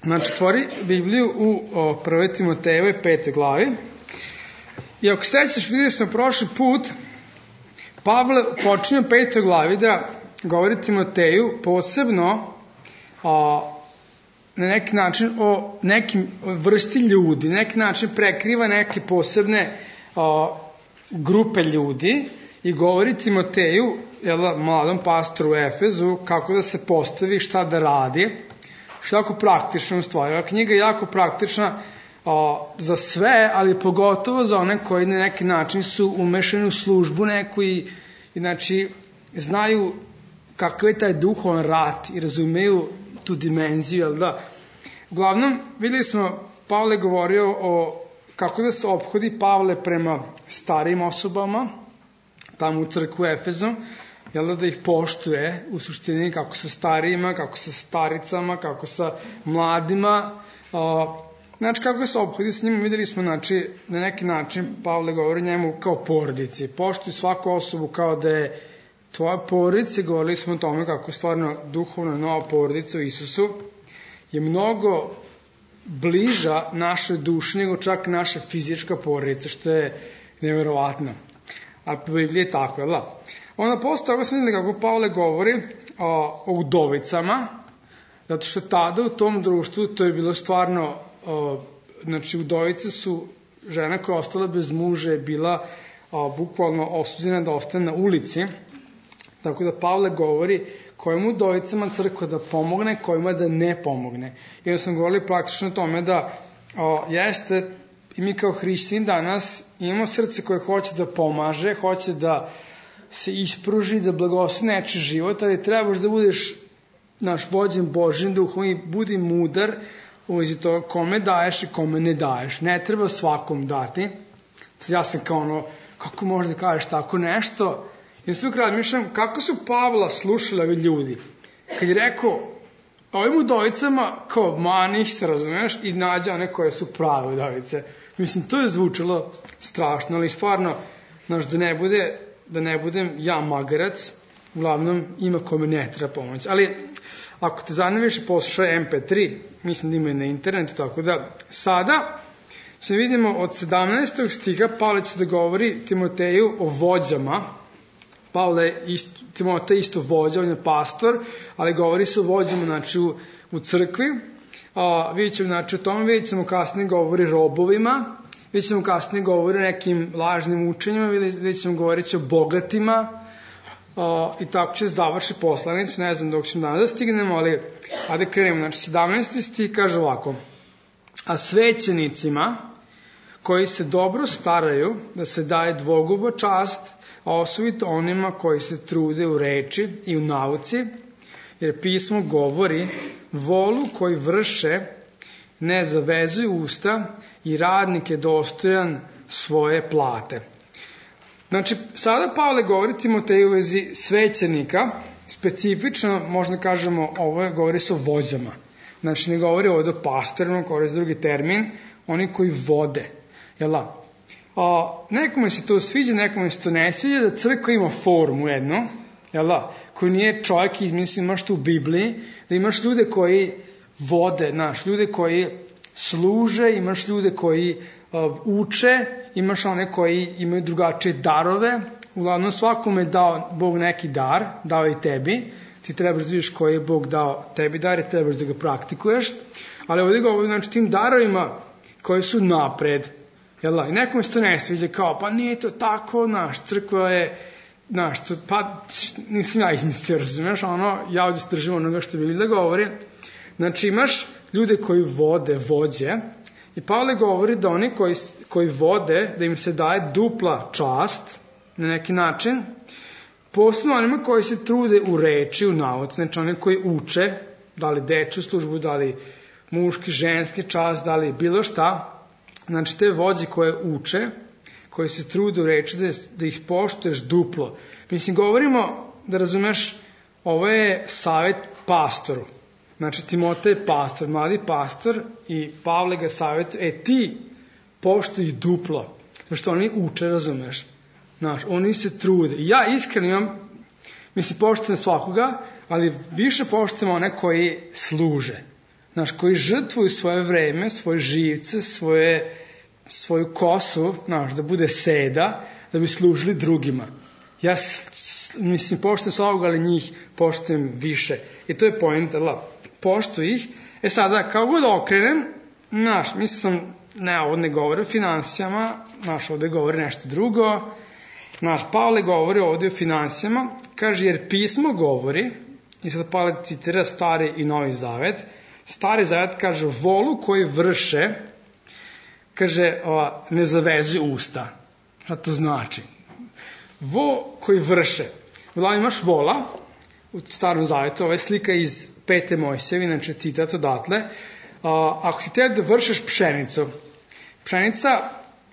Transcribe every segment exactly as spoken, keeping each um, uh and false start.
Znači, otvori Bibliju u o, prvoj Timotejevoj petoj glavi. I ako sećaš, vidjeli smo prošli put, Pavle počinje u petoj glavi da govori Timoteju posebno o, na neki način o nekim vrsti ljudi, na neki način prekriva neke posebne o, grupe ljudi i govori Timoteju, jel, mladom pastoru u Efezu, kako da se postavi, šta da radi, što je jako praktično u stvari. Ova knjiga je jako praktična o, za sve, ali pogotovo za one koji na neki način su umešani u službu neku i, i znači, znaju kakav je taj duhovan rat i razumeju tu dimenziju, jel da? Uglavnom, vidjeli smo, Pavle govorio o kako da se ophodi Pavle prema starijim osobama, tamo u crkvu Efezu, jel da, da ih poštuje u suštini kako sa starijima, kako sa staricama, kako sa mladima, o, znači kako se ophodi s njima. Vidjeli smo, znači, na neki način Pavle govori njemu kao porodici, poštuj svaku osobu kao da je tvoja porodica. Govorili smo o tome kako stvarno duhovna nova porodica u Isusu je mnogo bliža našoj duši nego čak naša fizička porodica, što je nevjerovatno. A po Bibliji je tako, jel da? Onda posle toga smo vidjeli kako Pavle govori o, o udovicama, zato što tada u tom društvu to je bilo stvarno, o, znači udovice su žena koja je ostala bez muža je bila o, bukvalno osuđena da ostane na ulici, tako da Pavle govori kojim udovicama crkva da pomogne, kojima da ne pomogne. I onda sam govorili praktično o tome da o, jeste, i mi kao hrišćani danas imamo srce koje hoće da pomaže, hoće da se ispruži, da blagoslov nečiji život, ali trebaš da budeš naš vođen Božjim duhom i budi mudar u vezi toga kome daješ i kome ne daješ. Ne treba svakom dati. Ja sam kao ono, kako možda kažeš tako nešto? I sve kraj mišljam, kako su Pavla slušali ovi ljudi? Kad je rekao, ovim udovicama, kao mani ih se, razumeš, i nađe one koje su prave udovice. Mislim, to je zvučalo strašno, ali stvarno, znaš, da ne bude, da ne budem ja magarac, uglavnom ima kome ne treba pomoć. Ali, ako te zanima više, poslušaj em pe tri, mislim da ima i na internetu, tako da, sada će vidimo od sedamnaestog stiha Pavle će da govori Timoteju o vođama. Pavle isto, Timotej isto vođa, on je pastor, ali govori se o vođama, znači, u, u crkvi. A, vidjet ćemo, znači, o tome, vidjet ćemo kasnije govori robovima, vidjet ćemo kasnije govori o nekim lažnim učenjima, vidjet ćemo govoriti o bogatima, a, i tako će završi poslanic, ne znam dok ćemo danas da stignemo, ali ajde krenemo. Znači, sedamnaesti stih kaže ovako: a svećenicima koji se dobro staraju da se daje dvoguba čast, a osobito onima koji se trude u reči i u nauci, jer pismo govori, volu koji vrše ne zavezuju usta i radnik je dostojan svoje plate. Znači, sada Pavle govori Timoteju u vezi svećenika, specifično, možda kažemo, ovo je, govori se o vođama. Znači, ne govori ovdje o pastorima, govori drugi termin, oni koji vode. Jel da? A, nekome se to sviđa, nekome se to ne sviđa, da crkva ima formu jednu, jel da, koji nije čovjek izmisli, imaš tu u Bibliji, da imaš ljude koji vode, znaš, ljude koji služe, imaš ljude koji uh, uče, imaš one koji imaju drugačije darove, uglavnom svakome je dao Bog neki dar, dao i tebi, ti trebaš da vidiš koji je Bog dao tebi dar i trebaš da ga praktikuješ, ali ovdje govorim, znači, tim darovima koji su napred. Jel da? I nekome se to ne sviđa, kao, pa nije to tako, naš, crkva je, naš, to, pa nisam ja izmislio, razumiješ, ono, ja ovdje stržim onoga što bi da govori. Znači, imaš ljude koji vode, vođe, i Pavle govori da oni koji, koji vode, da im se daje dupla čast, na neki način, posebno onima koji se trude u reči, u nauci, znači oni koji uče, da li dečju službu, da li muški, ženski čast, da li bilo šta. Znači, te vođe koje uče, koje se trude u reči, da, da ih poštuješ duplo. Mislim, govorimo, da razumeš, ovo je savjet pastoru. Znači, Timotej je pastor, mladi pastor, i Pavle ga savjetuje, e ti poštuj duplo. Zato što oni uče, razumeš. Znaš, oni se trude. I ja iskreno imam, mislim, poštujem svakoga, ali više poštujem one koji služe. znaš, koji žrtvuju svoje vreme, svoje živce, svoje, svoju kosu, znaš, da bude seda, da bi služili drugima. Ja, mislim, poštujem svakog, ali njih poštujem više. I to je poenta, la, poštuj ih. E sada, kao god okrenem, znaš, mislim, ne, ovdje ne govori o finansijama, znaš, ovdje govori nešto drugo. Znaš, Pavle govori ovdje o finansijama, kaže, jer pismo govori, i sad Pavle citira Stari i Novi Zavet, Stari Zavet kaže, volu koji vrše, kaže, o, ne zavezuju usta. Šta to znači? Vo koji vrše. Uglavnom imaš vola, u Starom Zavetu, ova je slika iz Pete Mojsijeve, inače citat odatle, a, ako ti treba da vršeš pšenicu, pšenica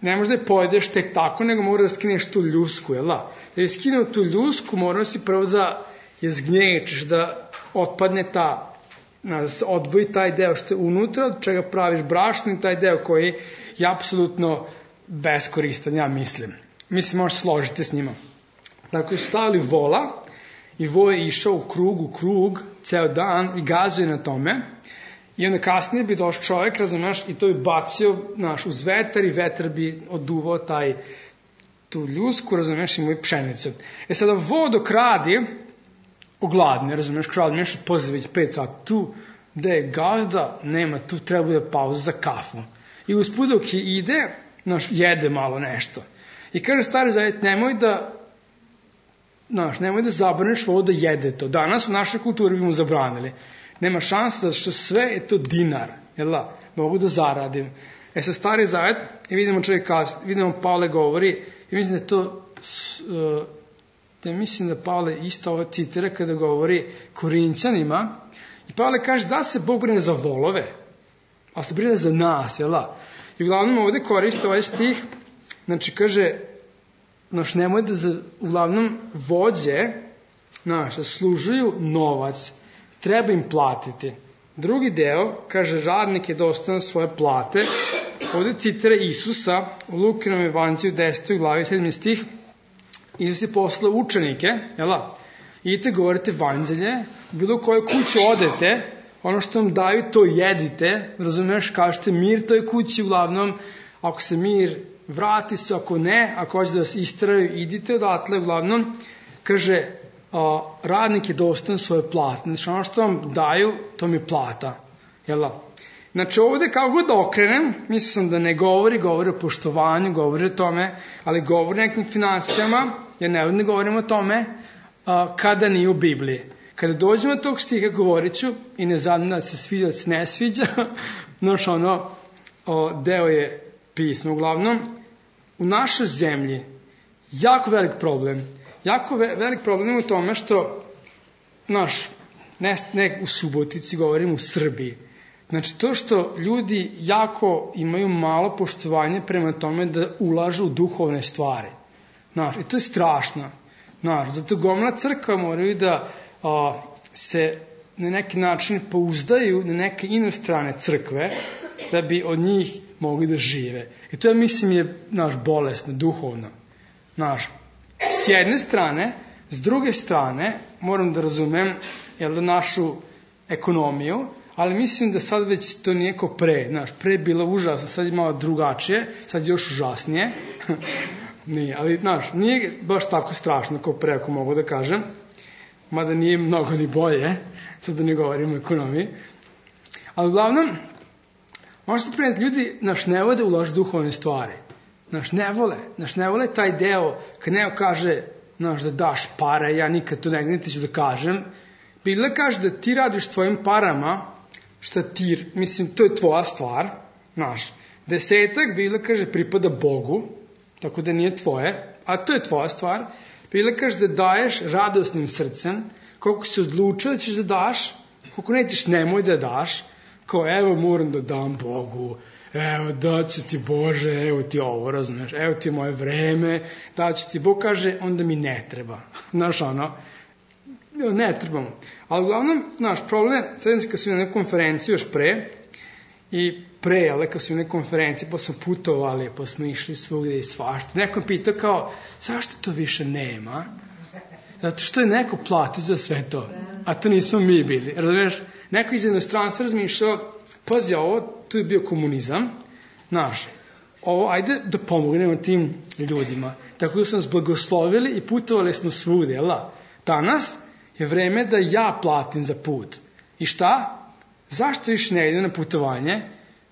ne možda je pojedeš tek tako, nego mora da skineš tu ljusku, jel da? Da je skinuo tu ljusku, mora si prvo da je zgnječiš, da otpadne ta, da se odvoji taj deo što je unutra, od čega praviš brašno i taj deo koji je apsolutno beskoristan, ja mislim. Mislim, možeš složiti s njima. Dakle, su stavili vola i vo je išao u krug, u krug, ceo dan i gazuje na tome. I onda kasnije bi došao čovjek, razumeš, i to bi bacio, znaš, uz vetar i vetar bi oduvao taj, tu ljusku, razumeš, i moju pšenicu. E sada, vo dok radi, ogladne, razumeš, kralj nešto pozove već pet sati, tu gde je gazda, nema, tu treba da pauza za kafu. I usput dok ide, znaš, jede malo nešto. I kaže Stari Zavet, nemoj da, znaš, nemoj da zabraneš ovo da jede to. Danas u našoj kulturi bi mu zabranili. Nema šanse da što sve je to dinar, jel da, mogu da zaradim. E sa Stari Zavet, i vidimo čovjek kas, vidimo Pavle govori, i mislim da to, da mislim da Pavle isto ovo citira kada govori Korinćanima, i Pavle kaže da se Bog brine za volove, a se brine za nas, jel da. I uglavnom ovdje koriste ovaj stih, znači kaže, znaš, nemoj da za, uglavnom vođe, znaš, služuju novac, treba im platiti. Drugi deo, kaže, radnik je dostojan svoje plate. Ovdje citira Isusa u Lukinom evanđelju desetoj glavi sedmi stih. Isus je poslao učenike, jel da? Idite, govorite evanđelje, bilo u kojoj kuću odete, ono što vam daju, to jedite, razumiješ, kažete mir toj kući, uglavnom, ako se mir vrati se, ako ne, ako hoće da vas istraju, idite odatle, uglavnom, kaže, a, radnik je dostojan svoje plate. Znači, ono što vam daju, to mi je plata. Jel da? Znači, ovdje kao god da okrenem, mislim da ne govori, govori o poštovanju, govori o tome, ali govori o nekim finansijama, jer ne, ne govorimo o tome, a, kada nije u Bibliji. Kada dođemo do tog stiha, govorit ću, i ne znam da se sviđa, da se ne sviđa, znači, ono, o, deo je pismo. Uglavnom, u našoj zemlji jako velik problem. Jako ve, velik problem je u tome što, znaš, ne, ne u Subotici, govorim u Srbiji. Znači, to što ljudi jako imaju malo poštovanje prema tome da ulažu u duhovne stvari. Znaš, i to je strašno. Znaš, zato gomila crkva moraju da a, se na neki način pouzdaju na neke inostrane crkve, da bi od njih mogli da žive. I to, ja mislim, je, naš, bolesno, duhovno. Naš, s jedne strane, s druge strane, moram da razumem, jel da, našu ekonomiju, ali mislim da sad već to nije ko pre. Znaš, pre je bilo užasno, sad je malo drugačije, sad je još užasnije. Nije, ali, znaš, nije baš tako strašno ko pre, ako mogu da kažem. Mada nije mnogo ni bolje, sad da ne govorimo o ekonomiji. Ali uglavnom, možete preneti, ljudi, naš, ne vole da ulažu duhovne stvari. Naš, ne vole. Naš, ne vole taj deo, kad neko kaže, naš, da daš pare, ja nikad to ne ću da kažem. Biblia kaže da ti radiš tvojim parama, šta ti, mislim, to je tvoja stvar, naš. Desetak, Biblia kaže, pripada Bogu, tako da nije tvoje, a to je tvoja stvar. Biblia kaže da daješ radosnim srcem, koliko si odlučio da ćeš da daš, koliko nećeš, nemoj da daš, kao, evo, moram da dam Bogu, evo, daću ti Bože, evo ti ovo, razumeš, evo ti moje vreme, daću ti, Bog kaže, onda mi ne treba. Znaš, ono, ne trebamo. Ali uglavnom, naš problem, sad kad su na nekoj konferenciji još pre, i pre, ali kad su na nekoj konferenciji, pa smo putovali, pa smo išli svugdje i svašta. Neko pitao kao, zašto to više nema? Zato što je neko plati za sve to. A to nismo mi bili. Razumiješ? Neko iz inostranstva razmišljao, pazi ovo, tu je bio komunizam, znaš, ovo, ajde da pomognemo tim ljudima. Tako da su nas blagoslovili i putovali smo svude, jel da? Danas je vreme da ja platim za put. I šta? Zašto više ne ide na putovanje?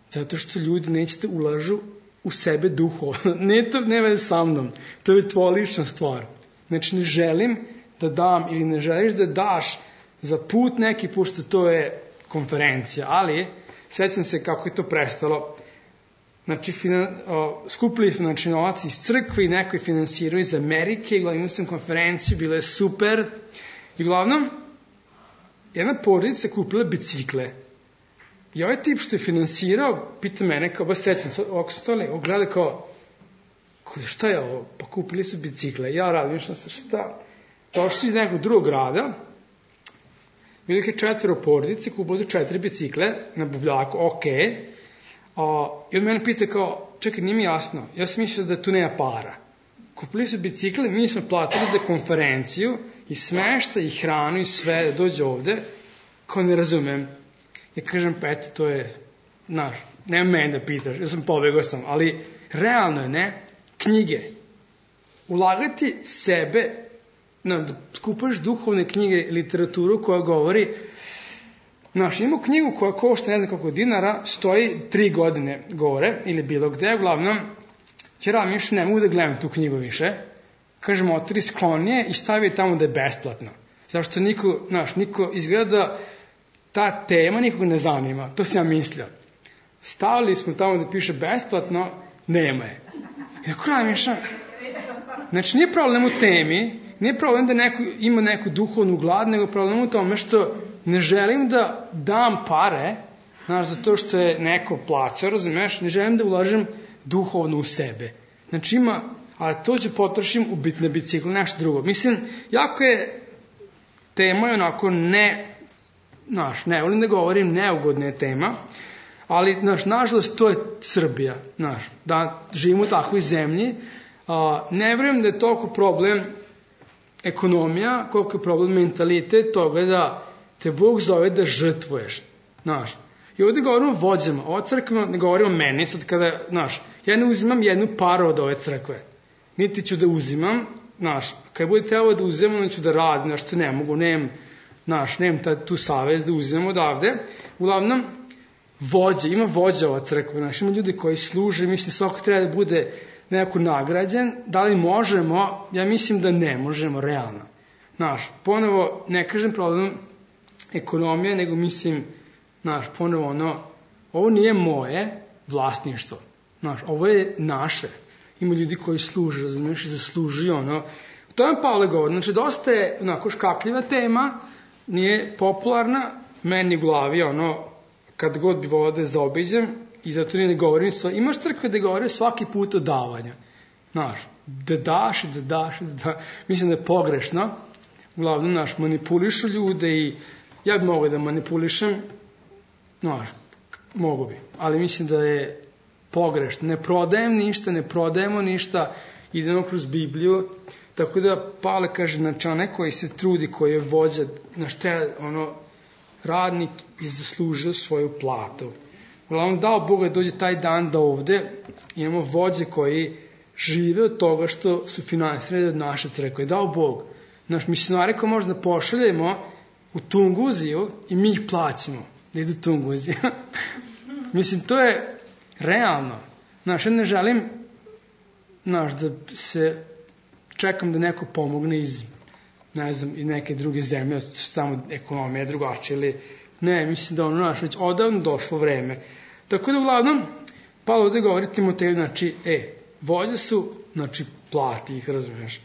Zato što ljudi nećete ulažu u sebe duhovno. Ne to ne veze sa mnom. To je tvoja lična stvar. Znači ne želim da dam ili ne želiš da daš za put neki, pošto to je konferencija. Ali, sećam se kako je to prestalo. Znači, finan, o, skupili znači, novac iz crkve i neko je finansirao iz Amerike. I glavno sam konferenciju, bilo je super. I glavnom, jedna porodica kupila bicikle. I ovaj tip što je finansirao, pita mene, kao ba sećam, ovako su to le, ogledali kao, šta je ovo? Pa kupili su bicikle. Ja radim, što se šta? Došli iz nekog drugog grada, bilo je četvero porodice, kupili su četiri bicikle na buvljaku, okej. Okay. I on mene pita kao, čekaj, nije mi jasno, ja sam mislio da tu nema para. Kupili su bicikle, mi smo platili za konferenciju i smešta i hranu i sve, da dođe ovde, kao ne razumem. Ja kažem, pa eto, to je, znaš, nema mene da pitaš, ja sam pobegao sam, ali realno je, ne, knjige. Ulagati sebe, no, da kupaš duhovne knjige, literaturu koja govori, znaš, imamo knjigu koja košta ne znam koliko dinara, stoji tri godine gore, ili bilo gde, uglavnom, ćera mi još ne mogu da gledam tu knjigu više, kažem, otri sklonije i stavi tamo da je besplatno. Zašto niko, znaš, niko izgleda da ta tema nikoga ne zanima, to sam ja mislio. Stavili smo tamo da piše besplatno, nema je. I ako razmišljam, znači nije problem u temi, nije problem da neko ima neku duhovnu glad, nego problem u tome što ne želim da dam pare, znaš, zato što je neko plaća, razumeš, ne želim da ulažem duhovno u sebe. Znači ima, a to ću potrošim u bitne bicikle, nešto drugo. Mislim, jako je tema je onako ne, znaš, ne volim da govorim, neugodna je tema, ali, znaš, nažalost, to je Srbija, znaš, da živimo u takvoj zemlji. A, ne vjerujem da je toliko problem ekonomija, koliko je problem mentalitet toga da te Bog zove da žrtvuješ, znaš. I ovdje govorimo o vođama, ova crkva ne govori o meni, sad kada, znaš, ja ne uzimam jednu paru od ove crkve, niti ću da uzimam, znaš, kad bude trebalo da uzimam, onda ću da radim, znaš, to ne mogu, nemam, znaš, nemam tu savez da uzimam odavde. Uglavnom, vođe, ima vođa ova crkva, znaš, ima ljudi koji služe, mislim, svako treba da bude nekako nagrađen, da li možemo, ja mislim da ne možemo, realno. Znaš, ponovo, ne kažem problem ekonomije, nego mislim, znaš, ponovo ono, ovo nije moje vlasništvo, znaš, ovo je naše. Ima ljudi koji služe, razumiješ, i zaslužuju ono. To je Pavle govori, znači, dosta je onako škakljiva tema, nije popularna, meni u glavi, ono, kad god bi volao da je zaobiđem, i zato ne govorim sva. Imaš crkve da govore svaki put o davanju. Znaš, da daš i da daš i da daš. Mislim da je pogrešno. Uglavnom, znaš, manipulišu ljude i ja bi mogo da manipulišem. Znaš, mogu bi. Ali mislim da je pogrešno. Ne prodajem ništa, ne prodajemo ništa. Idemo kroz Bibliju. Tako da Pavle kaže, znači, onaj koji se trudi, koji je vođa, znaš, treba, ono, radnik i zaslužio svoju platu. Uglavnom, dao Boga da dođe taj dan da ovde imamo vođe koji žive od toga što su finansirani od naše crkve. Dao Bog. Naš misionari koji možda pošaljemo u Tunguziju i mi ih plaćamo da idu u Tunguziju. Mislim, to je realno. Znaš, ja ne želim, znaš, da se čekam da neko pomogne iz, ne znam, iz neke druge zemlje, tamo ekonomija drugačija ili ne, mislim da ono, znaš, već odavno došlo vreme. Tako da, uglavnom, Pavle ovdje govori Timoteju, znači, e, vođe su, znači, plati ih, razumiješ.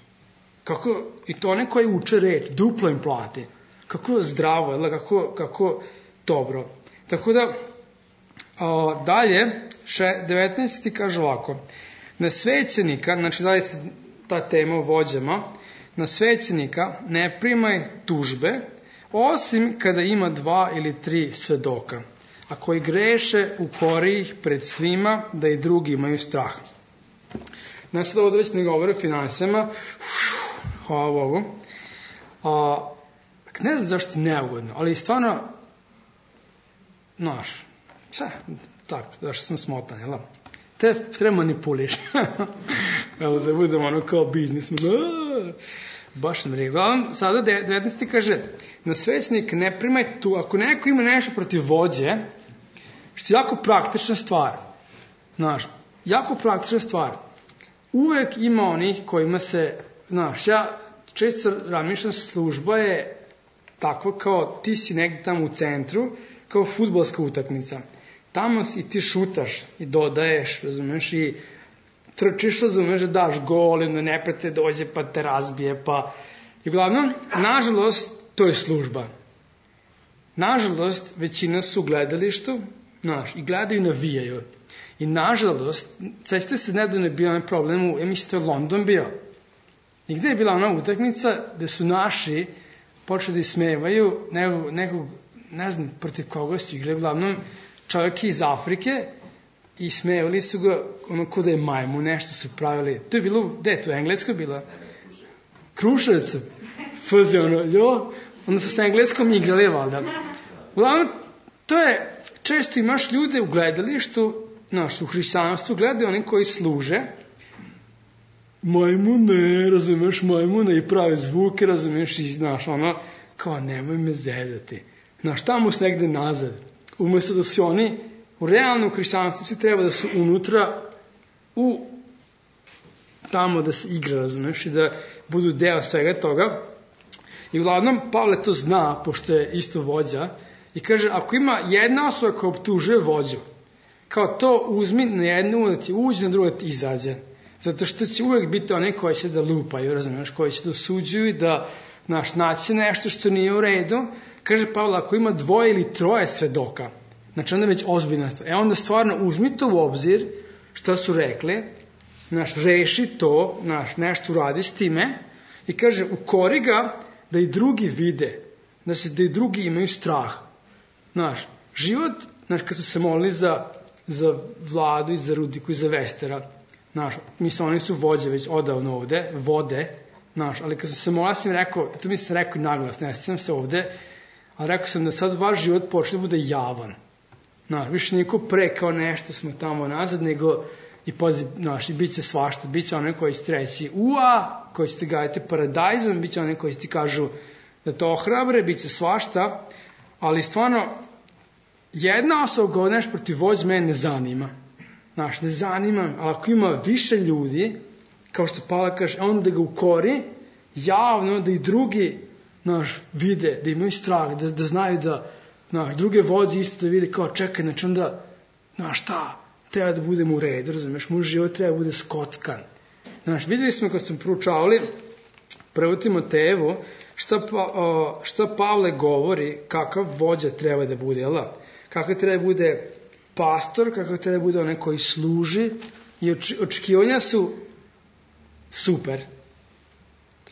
Kako, i to one koji uče reč, duplo im plati. Kako zdravo, jel, kako, kako dobro. Tako da, a, dalje, še, devetnaesti kaže ovako, na svećenika, znači, dalje se ta tema o vođama, na svećenika ne primaj tužbe, osim kada ima dva ili tri svedoka, a koji greše ukori ih pred svima da i drugi imaju strah. Znači da ovdje već ne govore o finansijama, hvala Bogu, a, ne znam zašto je neugodno, ali stvarno, znaš, ča, tako, zašto sam smotan, jel? Te treba manipuliš. Evo da budemo ono kao biznisman. Baš nam rijeku. Sada devetnaesti kaže, na svećenik ne primaj tu, ako neko ima nešto protiv vođe, što je jako praktična stvar. Znaš, jako praktična stvar. Uvek ima onih kojima se, znaš, ja često razmišljam, služba je takva kao ti si negdje tamo u centru, kao fudbalska utakmica. Tamo i ti šutaš i dodaješ, razumeš, i trčiš, razumeš, da daš gol, i da neprijatelj dođe pa te razbije, pa... I uglavnom, nažalost, to je služba. Nažalost, većina su u gledalištu, znaš, i gledaju i navijaju. I nažalost, ceste se nedavno je bio onaj problem u, ja mislim, to je London bio. I gde je bila ona utakmica gde su naši počeli da ismevaju nekog, nekog, ne znam, protiv koga su igrali, uglavnom čovjek iz Afrike, i smevali su ga ono ko da je majmu, nešto su pravili. To je bilo, gde je to, Engleska bila? Kruševac. Fazi ono, jo, onda su sa Engleskom igrali, valjda. Uglavnom, to je, često imaš ljude u gledalištu, znaš, u hrišćanstvu, gledaju oni koji služe, majmune, razumeš, majmune, i prave zvuke, razumeš, i znaš, ono, kao, nemoj me zezati. Znaš, tamo su negde nazad. Umesto da su oni, u realnom hrišćanstvu svi treba da su unutra, u tamo da se igra, razumeš, i da budu deo svega toga. I uglavnom, Pavle to zna, pošto je isto vođa, i kaže, ako ima jedna osoba koja optužuje vođu, kao to uzmi na jednu da ti uđe, na drugu da ti izađe. Zato što će uvek biti one koji će da lupaju, razumiješ, koji će da osuđuju i da, znaš, naći nešto što nije u redu. Kaže Pavle, ako ima dvoje ili troje svedoka, znači onda već ozbiljna stvar. E onda stvarno uzmi to u obzir šta su rekli, znaš, reši to, znaš, nešto uradi s time i kaže, ukori ga da i drugi vide, da se da i drugi imaju strah. Znaš, život, znaš, kad su se molili za, za Vladu i za Rudiku i za Vestera, znaš, mislim, oni su vođe već odavno ovde, vode, znaš, ali kad su se molili, ja sam rekao, to mi sam rekao naglas, ne sam se ovde, ali rekao sam da sad vaš život počne da bude javan. Znaš, više niko pre kao nešto smo tamo nazad, nego i pazi, znaš, i bit će svašta, bit će one koji će treći ua, koji će ti gajati paradajzom, bit će one koji će ti kažu da to ohrabre, bit će svašta, ali stvarno, jedna osoba govori nešto protiv vođe mene ne zanima. Znaš, ne zanima, ali ako ima više ljudi, kao što Pavle kaže, onda ga ukori, javno, da i drugi, znaš, vide, da imaju strah, da, da znaju da, znaš, druge vođe isto da vide kao čekaj, znači onda, znaš, šta, treba da budemo u redu, razumiješ, moj život treba da bude skockan. Znaš, videli smo kad smo proučavali prvo Timotejevu, šta, pa, o, šta Pavle govori, kakav vođa treba da bude, jel da? Kakav treba da bude pastor, kakav treba da bude onaj koji služi, i očekivanja su super.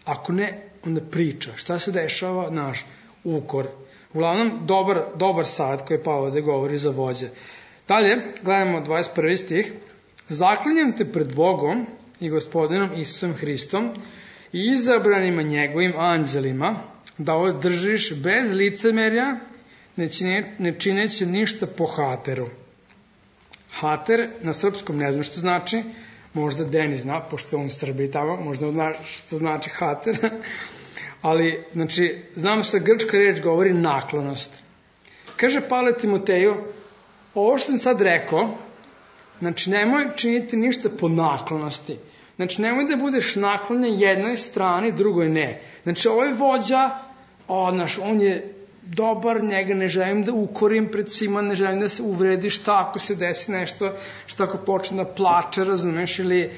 Ako ne, onda priča. Šta se dešava? Naš ukor. Uglavnom, dobar, dobar sad koji Pavle da govori za vođe. Dalje, gledamo dvadeset prvi stih. Zaklinjem te pred Bogom i Gospodinom Isusom Hristom i izabranima njegovim anđelima da ovo držiš bez licemerja, ne, čine, ne čineći ništa po hateru. Hater na srpskom ne znam što znači, možda Denis zna, pošto je on u Srbiji tamo, možda zna što znači hater, ali, znači, znamo se grčka reč govori naklonost. Kaže Pavle Timoteju, ovo što sam sad rekao, znači, nemoj činiti ništa po naklonosti. Znači, nemoj da budeš naklonjen jednoj strani, drugoj ne. Znači, ovaj vođa, o, naš, on je dobar, njega ne želim da ukorim pred svima, ne želim da se uvredi, šta ako se desi nešto, šta ako počne da plače, razumeš, ili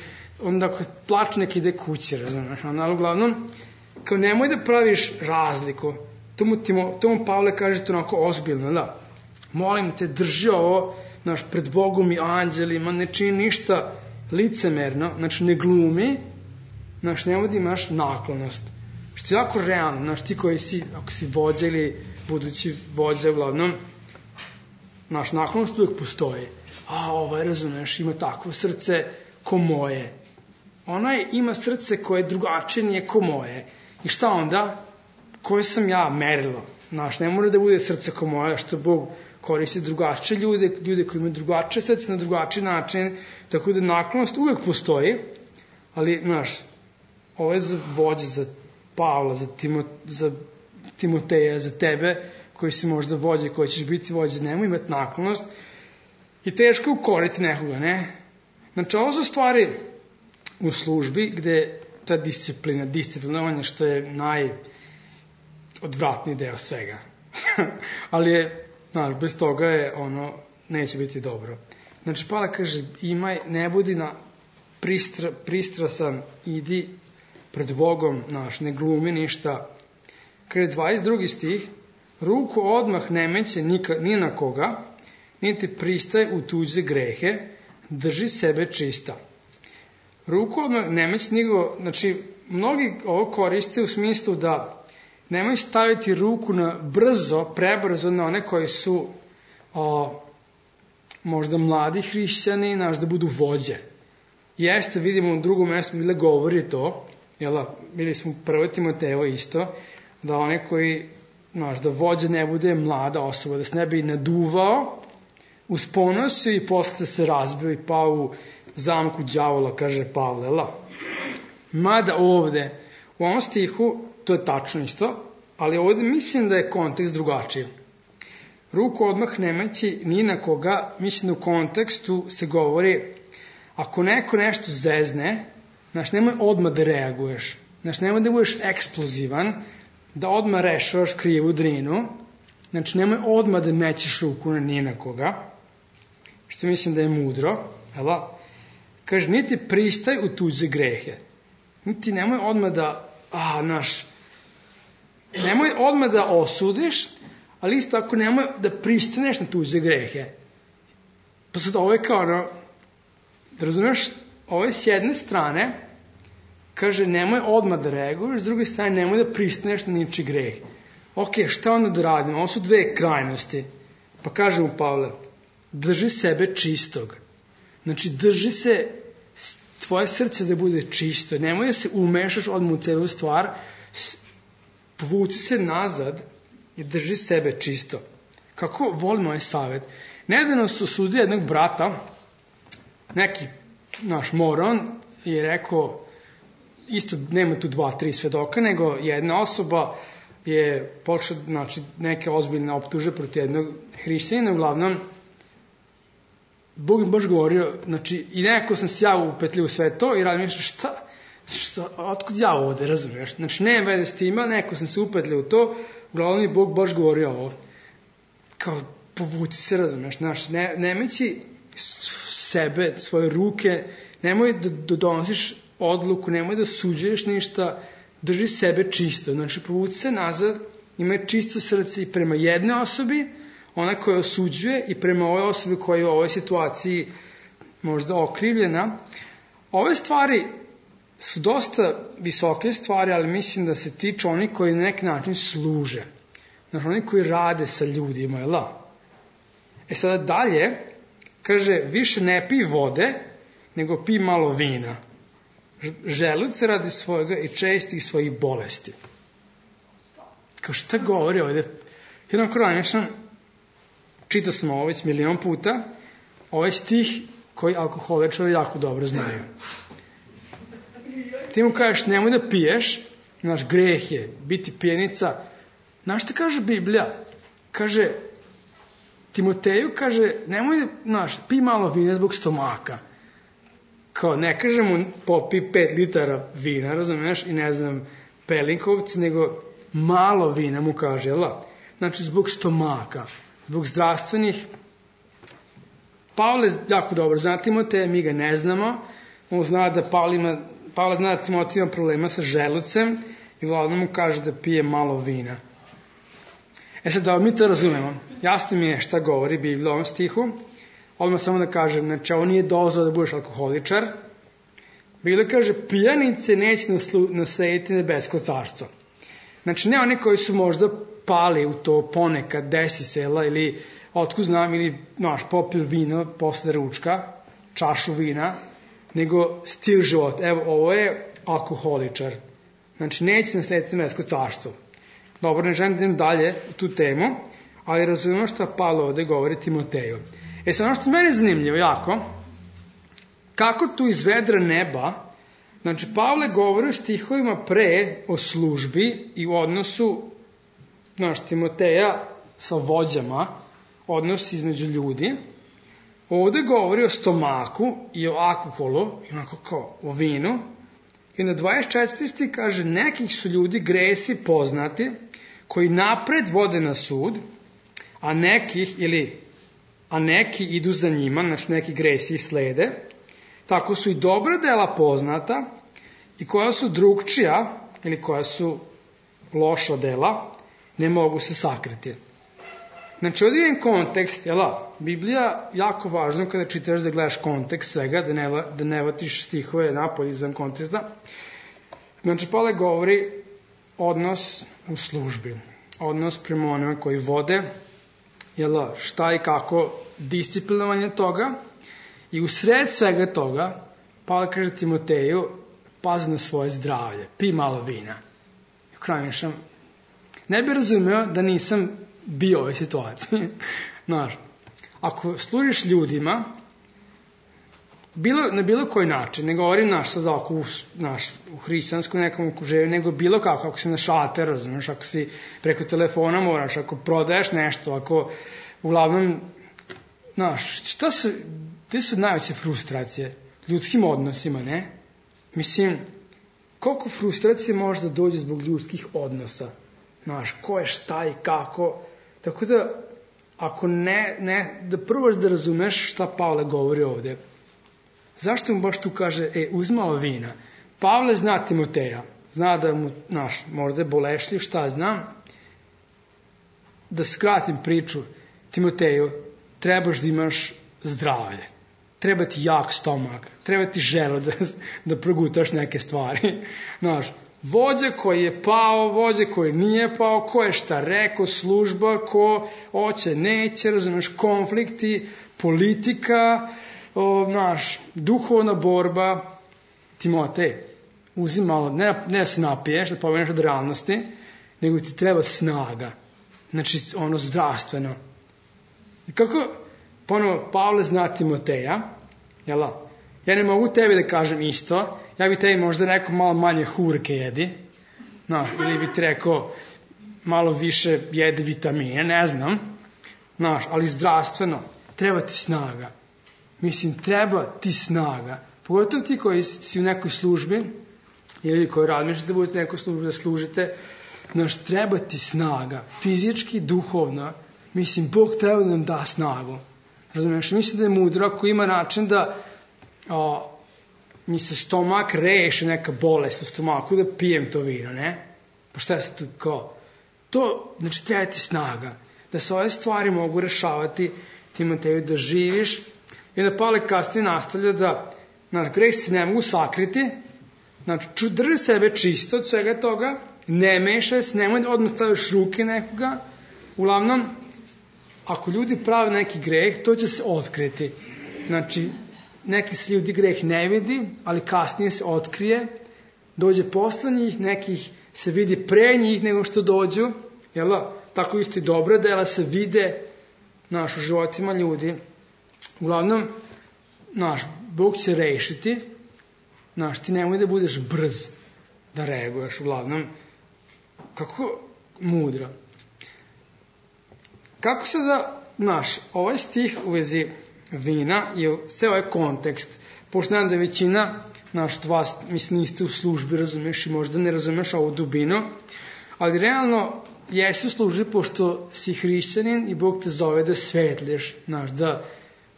onda ako plače nek ide kući, razumeš, ali uglavnom, kao nemoj da praviš razliku. Tomu, timo, tomu Pavle kaže to onako ozbiljno, da, molim te, drži ovo, znaš, pred Bogom i anđelima, ne čini ništa licemerno, znači ne glumi, znaš, nemoj da imaš naklonost. Što je jako realno, znaš, ti koji si, ako si vođa ili budući vođa, uglavnom, naš naklonost uvijek postoji. A, ovaj, razumeš, ima takvo srce ko moje. Onaj ima srce koje je drugačije, nije ko moje. I šta onda? Koje sam ja merilo? Znaš, ne mora da bude srce ko moje, što Bog koristi drugačije ljude, ljude koji imaju drugačije srce na drugačiji način, tako da naklonost uvek postoji, ali, znaš, ovo je za vođe, za Pavla, za, Timo, za Timoteja, za tebe, koji si možda vođe, koji ćeš biti vođe, nemoj imati naklonost i teško ukoriti nekoga, ne? Znači, ovo su stvari u službi gde ta disciplina, disciplinovanje što je najodvratniji deo svega. Ali je, znaš, bez toga je ono, neće biti dobro. Znači, Pavle kaže, imaj, ne budi na pristra, pristrasan, idi pred Bogom, znaš, ne glumi ništa. Kaže, dvadeset drugi stih, ruku odmah ne meće ni na koga, niti pristaje u tuđe grehe, drži sebe čista. Ruku odmah ne meće nikoga, znači, mnogi ovo koriste u smislu da nemoj staviti ruku na brzo, prebrzo na one koji su o, možda mladi hrišćani, znaš, da budu vođe. Jeste, vidimo u drugom mjestu bile govori to, jel, bili smo prvo Timotejevo isto, da one koji, znaš, da vođa ne bude mlada osoba, da se ne bi naduvao, usponosio i posle se razbio i pao u zamku đavola, kaže Pavle, jel? Mada ovde, u ovom stihu, to je tačno isto, ali ovde mislim da je kontekst drugačiji. Ruku odmah ne meći ni na koga, mislim da u kontekstu se govori, ako neko nešto zezne, znaš, nemoj odmah da reaguješ, znaš, nemoj da budeš eksplozivan, da odmah rešavaš krivu drinu, znači nemoj odmah da mećeš ruku na ni na koga, što mislim da je mudro, jel? Kaže, niti pristaj u tuđe grehe, niti nemoj odmah da, a, znaš, nemoj odmah da osudiš, ali isto ako nemoj da pristaneš na tuđe grehe. Pa sad ovo je kao, no, da razumeš, ovo je s jedne strane, kaže, nemoj odmah da reaguješ, s druge strane, nemoj da pristaneš na niči greh. Ok, šta onda da radimo? Ovo su dve krajnosti. Pa kaže mu Pavle, drži sebe čistog. Znači, drži se, tvoje srce da bude čisto. Nemoj da se umešaš odmah u celu stvar, povuci se nazad i drži sebe čisto. Kako volim ovaj savjet? Nedavno su sudili jednog brata, neki naš moron, je rekao, isto nema tu dva, tri svedoka, nego jedna osoba je počela, znači, neke ozbiljne optuže protiv jednog hrišćanina, uglavnom, Bog im baš govorio, znači, i nekako sam se ja upetljio u sve to i radim, šta, šta, otkud ja ovde, razumiješ? Znači, nema veze s tima, nekako sam se upetljio u to, uglavnom je Bog baš govorio ovo, kao, povuci se, razumiješ, znači, ne, nemeći sebe, svoje ruke, nemoj da, da donosiš odluku, nemoj da suđuješ ništa, drži sebe čisto, znači, povuci se nazad, imaj čisto srce i prema jedne osobi, ona koja osuđuje, i prema ovoj osobi koja je u ovoj situaciji možda okrivljena. Ove stvari su dosta visoke stvari, ali mislim da se tiču oni koji na neki način služe. Znači, oni koji rade sa ljudima, jel da? E sada dalje, kaže, više ne pij vode, nego pij malo vina. Želuc radi svojega i čestih svojih bolesti. Kao šta govori ovdje? Jednom krajnješnom, čitao sam ovo već milion puta, ovaj stih koji alkoholičari jako dobro znaju. Ti mu kažeš, nemoj da piješ, naš greh je biti pijenica. Znaš šta kaže Biblija? Kaže, Timoteju kaže, nemoj, znaš, pij malo vina zbog stomaka. Kao, ne kaže mu popi pet litara vina, razumiješ, i ne znam, pelinkovci, nego malo vina mu kaže, jel? Znači, zbog stomaka, zbog zdravstvenih. Pavle jako dobro zna Timoteja, mi ga ne znamo. On zna da Pavle ima, Pavle zna da Timotej ima problema sa želucem i Vlada mu kaže da pije malo vina. E sad, da mi to razumemo. Jasno mi je šta govori Biblija u ovom stihu. Odmah samo da kažem, znači, ovo nije dozvao da budeš alkoholičar. Biblija kaže, pijanice neće naslediti nebesko carstvo. Znači, ne oni koji su možda pali u to ponekad, desi sela, ili otkud znam, ili, znaš, popil vino posle ručka, čašu vina, nego stil života. Evo, ovo je alkoholičar. Znači, neće naslediti nebesko carstvo. Dobro, ne želim da idem dalje u tu temu, ali razumemo šta Pavle ovde govori Timoteju. E sad, ono što je meni zanimljivo jako, kako tu iz vedra neba, znači Pavle govori u stihovima pre o službi i u odnosu, znaš, Timoteja sa vođama, odnos između ljudi. Ovde govori o stomaku i o alkoholu, onako kao o vinu. I na dvadeset četvrti stih kaže, nekih su ljudi gresi poznati, koji napred vode na sud, a nekih, ili, a neki idu za njima, znači neki gresi i slede. Tako su i dobra dela poznata, i koja su drugčija, ili koja su loša dela, ne mogu se sakriti. Znači, ovdje je kontekst, jela, Biblija jako važno kada čitaš da gledaš kontekst svega, da ne, da ne vatiš stihove napolje izvan konteksta. Znači, Pavle govori odnos u službi, odnos prema onima koji vode, jela, šta i kako, disciplinovanje toga, i u sred svega toga, Pavle kaže Timoteju, pazi na svoje zdravlje, pi malo vina. Krajnišam, ne bi razumio da nisam bio u ovoj situaciji. Znaš, ako služiš ljudima, bilo, na bilo koji način, ne govorim naš sad oko u, naš, u hrišćanskom nekom okruženju, nego bilo kako, ako si na šater, razumiješ, ako si preko telefona moraš, ako prodaješ nešto, ako uglavnom, znaš, šta su, gde su najveće frustracije? Ljudskim odnosima, ne? Mislim, koliko frustracije može da dođe zbog ljudskih odnosa? Znaš, ko je šta i kako. Tako da, ako ne, ne da probaš da razumeš šta Pavle govori ovde, zašto mu baš tu kaže, e, uzmao vina? Pavle zna Timoteja, zna da mu, znaš, možda je bolešljiv, šta znam. Da skratim priču, Timoteju, trebaš da imaš zdravlje. Treba ti jak stomak, treba ti želo da, da progutaš neke stvari. Znaš, vođa koji je pao, vođa koji nije pao, ko je šta rekao, služba, ko hoće, neće, razumeš, konflikti, politika, o, naš, duhovna borba. Timotej, uzim malo, ne, ne da se napiješ, da pomeneš od realnosti, nego ti treba snaga. Znači, ono zdravstveno. I kako, ponovo, Pavle zna Timoteja, jela? Ja ne mogu tebi da kažem isto, ja bi tebi možda rekao malo manje hurke jedi, no, ili bi ti rekao malo više jedi vitamine, ne znam, znaš, ali zdravstveno, treba ti snaga. Mislim, treba ti snaga. Pogotovo ti koji si u nekoj službi, ili koji razmišljate da budete u nekoj službi da služite, znaš, treba ti snaga, fizički, duhovno. Mislim, Bog treba da nam da snagu. Razumiješ, mislim da je mudro ako ima način da o, mi se stomak reše neka bolest u stomaku, da pijem to vino, ne? Pa šta se tu kao? To, znači, treba ti snaga. Da se ove stvari mogu rešavati, Timoteju, da živiš. I da Pavle kasnije nastavlja da, znaš, gresi se ne mogu sakriti, znači, drži sebe čisto od svega toga, ne mešaj se, nemoj da odmah staviš ruke nekoga. Uglavnom, ako ljudi prave neki greh, to će se otkriti. Znači, neki se ljudi greh ne vidi, ali kasnije se otkrije, dođe posle njih, nekih se vidi pre njih nego što dođu, jel da? Tako isto i dobra dela se vide, naš, u životima ljudi. Uglavnom, naš, Bog će rešiti, naš, ti nemoj da budeš brz da reaguješ, uglavnom, kako mudro. Kako se da, naš, ovaj stih u vezi vina je sve ovaj kontekst, pošto znam da većina, naš, vas, mislim, niste u službi, razumeš, i možda ne razumeš ovu dubinu, ali realno jesi u službi pošto si hrišćanin i Bog te zove da svetliš, naš, da,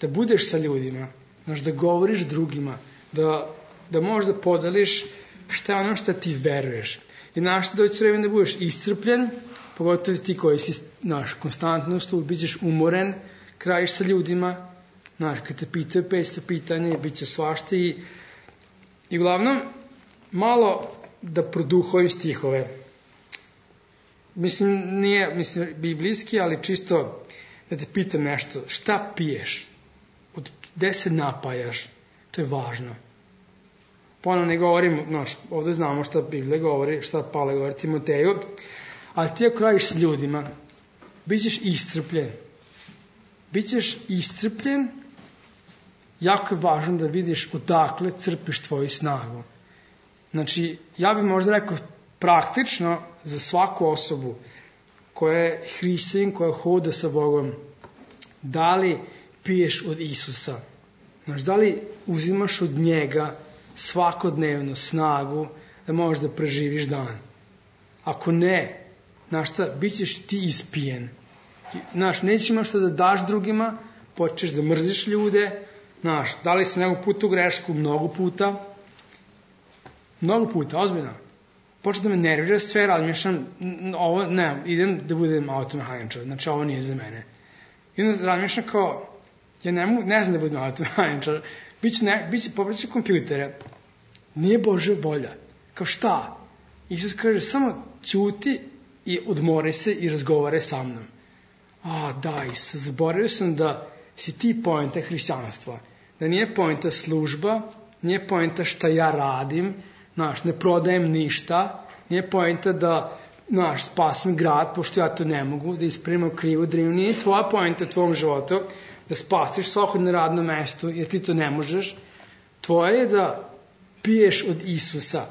da budeš sa ljudima, naš, da govoriš drugima, da, da možda podeliš šta je ono što ti veruješ. I naš, doći vreme da budeš iscrpljen, pogotovo ti koji si, naš, konstantno u službi, bićeš umoren, krajiš sa ljudima, znaš, kad te pitaju petsto pitanja, bit će svašta i, i uglavnom, malo da produhovim stihove. Mislim, nije, mislim, biblijski, ali čisto da te pitam nešto, šta piješ? Od gde se napajaš? To je važno. Ponovno ne govorim, znaš, ovdje znamo šta Biblija govori, šta Pavle govori Timoteju, ali ti ako radiš s ljudima, Bićeš iscrpljen. Bićeš iscrpljen, jako je važno da vidiš odakle crpiš tvoju snagu. Znači, ja bih možda rekao praktično za svaku osobu koja je hrišćanin, koja hoda sa Bogom, da li piješ od Isusa? Znači, da li uzimaš od njega svakodnevno snagu da možeš da preživiš dan? Ako ne, znaš šta, bit ćeš ti ispijen. Znaš, nećeš imaš šta da daš drugima, počneš da mrziš ljude, znaš, da li si nekog puta u grešku, mnogo puta, mnogo puta, ozbiljno. Počne da me nervira sve, razmišljam, ovo, ne, idem da budem automehaničar, znači ovo nije za mene. I onda razmišljam kao, ja ne, mogu, ne znam da budem automehaničar, biće, ne, biće popraći kompjutere, nije Božja volja. Kao šta? Isus kaže, samo ćuti i odmori se i razgovore sa mnom. A, da, Isus, zaboravio sam da si ti poenta hrišćanstva. Da nije poenta služba, nije poenta šta ja radim, znaš, ne prodajem ništa, nije poenta da, znaš, spasim grad, pošto ja to ne mogu, da ispravim krivu drinu, nije tvoja poenta u tvom životu, da spasiš svako na radnom mestu, jer ti to ne možeš. Tvoje je da piješ od Isusa,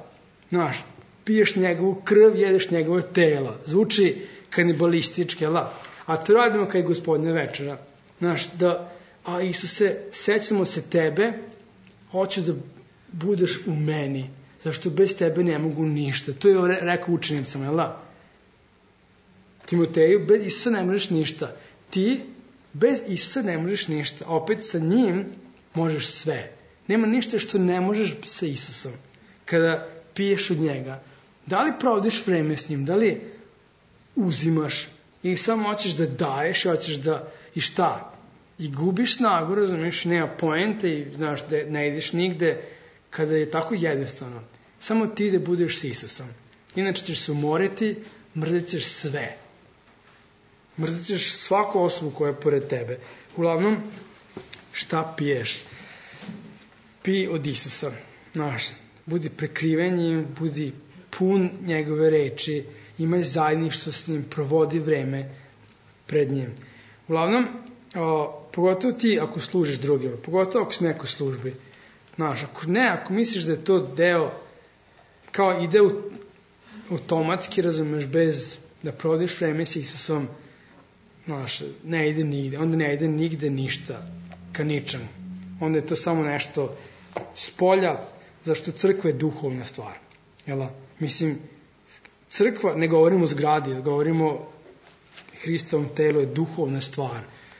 znaš, piješ njegovu krv, jedeš njegovo telo. Zvuči kanibalistički, ala? A to radimo kao i Gospodnja večera. Znaš, da, a Isuse, sećamo se tebe, hoću da budeš u meni, zašto bez tebe ne mogu ništa. To je rekao učenicama, jel da? Timoteju, bez Isusa ne možeš ništa. Ti, bez Isusa ne možeš ništa. A opet sa njim možeš sve. Nema ništa što ne možeš sa Isusom. Kada piješ od njega. Da li provodiš vreme s njim? Da li uzimaš? I samo hoćeš da daješ, hoćeš da, i šta? I gubiš snagu, razumiješ, nema poente i znaš da ne ideš nigde kada je tako jednostavno. Samo ti da budeš s Isusom. Inače ćeš se umoriti, mrzit ćeš sve. Mrzit ćeš svaku osobu koja je pored tebe. Uglavnom, šta piješ? Pij od Isusa. Znaš, budi prekriven njim, budi pun njegove reči, imaj zajedništvo s njim, provodi vreme pred njim. Uglavnom, o, pogotovo ti ako služiš drugima, pogotovo ako si neko službi. Znaš, ako ne, ako misliš da je to deo, kao ide u, automatski, razumeš, bez da provodiš vreme s Isusom, znaš, ne ide nigde, onda ne ide nigde ništa, ka ničemu. Onda je to samo nešto spolja, zašto crkva je duhovna stvar. Jel? Mislim, crkva, ne govorimo o zgradi, govorimo Hristovom telo je duhovna stvar